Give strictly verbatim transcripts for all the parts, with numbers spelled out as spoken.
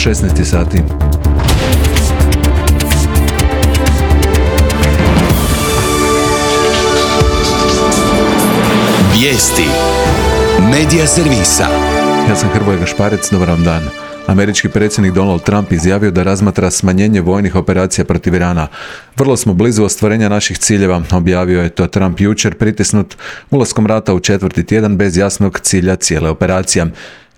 šesnaest sati. Vijesti Medija servisa. Ja sam Hrvoje Gašparec, dobar vam dan. Američki predsjednik Donald Trump izjavio da razmatra smanjenje vojnih operacija protiv Irana. Vrlo smo blizu ostvarenja naših ciljeva, objavio je to Trump jučer, pritisnut ulaskom rata u četvrti tjedan bez jasnog cilja cijele operacije.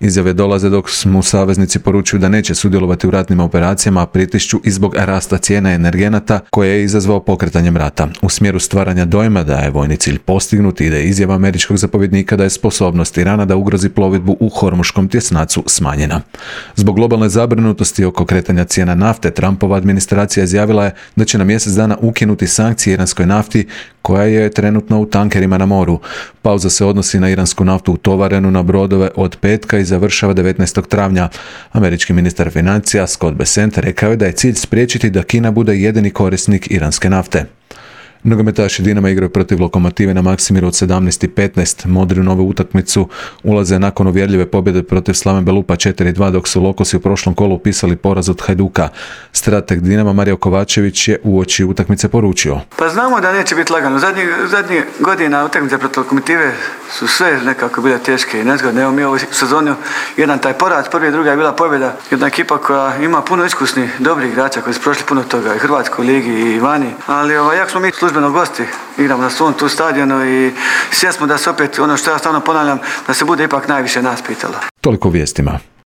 Izjave dolaze dok mu saveznici poručuju da neće sudjelovati u ratnim operacijama, a pritišću i zbog rasta cijena energenata koje je izazvao pokretanjem rata. U smjeru stvaranja dojma da je vojni cilj postignut ide izjava američkog zapovjednika da je sposobnost Irana da ugrozi plovidbu u Hormuškom tjesnacu smanjena. Zbog globalne zabrinutosti oko kretanja cijena nafte, Trumpova administracija izjavila je da će na mjesec dana ukinuti sankcije iranskoj nafti koja je trenutno u tankerima na moru. Pauza se odnosi na iransku naftu utovarenu na brodove od petka i završava devetnaestog travnja. Američki ministar financija Scott Bessent rekao je da je cilj spriječiti da Kina bude jedini korisnik iranske nafte. Nogometaši Dinama igraju protiv Lokomotive na Maksimiru od sedamnaest petnaest. Modri u novu utakmicu ulaze nakon uvjerljive pobjede protiv Slaven Belupa četiri dva, dok su Lokosi u prošlom kolu upisali poraz od Hajduka. Strateg Dinama Mario Kovačević je uoči utakmice poručio: Pa znamo da neće biti lagano. Zadnjih zadnji godina utakmice protiv Lokomotive su sve nekako bile teške i nezgodne. Evo mi ovu sezonu jedan taj poraz, prvi i druga je bila pobjeda. Jedna ekipa koja ima puno iskusnih, dobrih igrača koji su prošli puno toga i Hrvatskoj ligi i vani. Ali ovaj, jak smo mi službeno gosti, igramo na svom tu stadionu i svjesni smo da se opet, ono što ja stalno ponavljam, da se bude ipak najviše nas pitalo. Toliko vijestima.